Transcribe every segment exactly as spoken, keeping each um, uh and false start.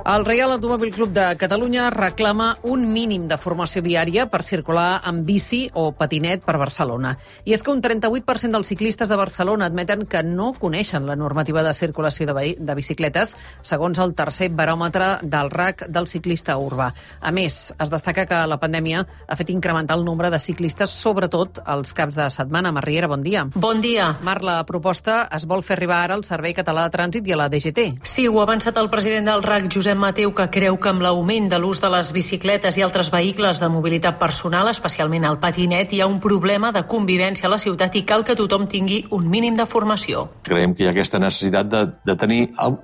El Reial Automòbil Club de Catalunya reclama un mínim de formació viària per circular amb bici o patinet per Barcelona. I és que un trenta-vuit per cent dels ciclistes de Barcelona admeten que no coneixen la normativa de circulació de, de bicicletes, segons el tercer baròmetre del R A C del ciclista urbà. A més, es destaca que la pandèmia ha fet incrementar el nombre de ciclistes, sobretot els caps de setmana. Mar Riera, bon dia. Bon dia. Mar, la proposta es vol fer arribar ara al Servei Català de Trànsit i a la D G T. Sí, ho ha avançat el president del R A C, Josep Mateu, que creu que amb l'augment de l'ús de les bicicletes i altres vehicles de mobilitat personal, especialment el patinet, hi ha un problema de convivència a la ciutat i cal que tothom tingui un mínim de formació. Creiem que hi ha aquesta necessitat de, de tenir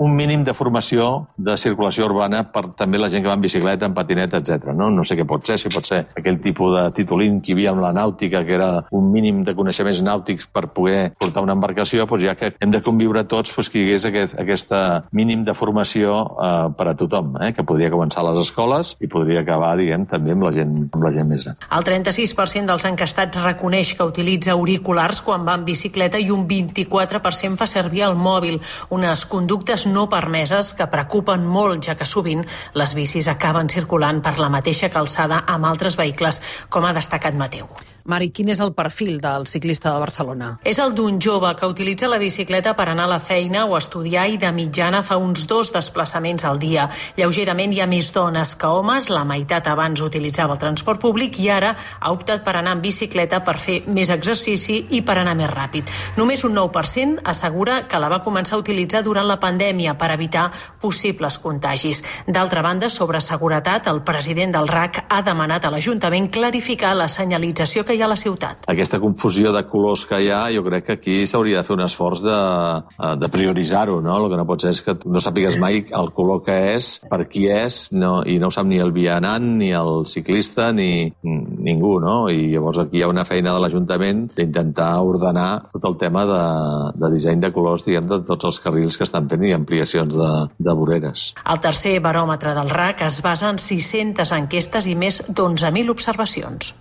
un mínim de formació de circulació urbana per també la gent que va en bicicleta, en patinet, etcètera. No? no sé què pot ser, si pot ser aquell tipus de titulín que hi havia amb la nàutica, que era un mínim de coneixements nàutics per poder portar una embarcació, doncs ja que hem de conviure tots, doncs que hi hagués aquest, aquesta mínim de formació eh, per a tothom, eh, que podria començar a les escoles i podria acabar, diguem, també amb la gent, amb la gent més gran. El trenta-sis per cent dels encastats reconeix que utilitza auriculars quan va en bicicleta i un vint-i-quatre per cent fa servir el mòbil, unes conductes no permeses que preocupen molt, ja que sovint les bicis acaben circulant per la mateixa calçada amb altres vehicles, com ha destacat Mateu. Mari, quin és el perfil del ciclista de Barcelona? És el d'un jove que utilitza la bicicleta per anar a la feina o a estudiar i de mitjana fa uns dos desplaçaments al dia. Lleugerament hi ha més dones que homes, la meitat abans utilitzava el transport públic i ara ha optat per anar en bicicleta per fer més exercici i per anar més ràpid. Només un nou per cent assegura que la va començar a utilitzar durant la pandèmia per evitar possibles contagis. D'altra banda, sobre seguretat, el president del R A C ha demanat a l'Ajuntament clarificar la senyalització que hi ha a la ciutat. Aquesta confusió de colors que hi ha, jo crec que aquí s'hauria de fer un esforç de, de prioritzar-ho, no? El que no pot ser és que no sàpigues mai el color que és, per qui és, no, i no ho sap ni el vianant, ni el ciclista, ni ningú, no? I llavors aquí hi ha una feina de l'Ajuntament d'intentar ordenar tot el tema de, de disseny de colors, diguem, de tots els carrils que estan fent i ampliacions de, de voreres. El tercer baròmetre del R A C es basa en sis-centes enquestes i més d'onze mil observacions.